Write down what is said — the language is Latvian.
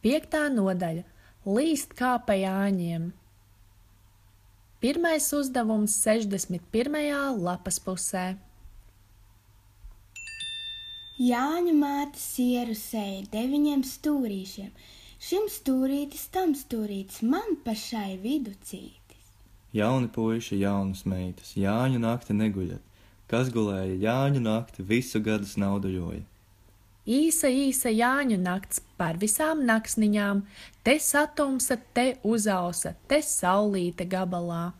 5. nodaļa – Līst kā pa Jāņiem. Pirmais uzdevums 61. lapas pusē. Jāņu māte sieru sēja 9 stūrīšiem. Šim stūrītis, tam stūrītis, man pašai viducītis. Jauni puiši, jaunas meitas, Jāņu nakti neguļat. Kas gulēja Jāņu nakti, visu gadus naudu joja. Īsa Jāņu nakts par visām naksniņām, te satumsa, te uzausa, te saulīte gabalā.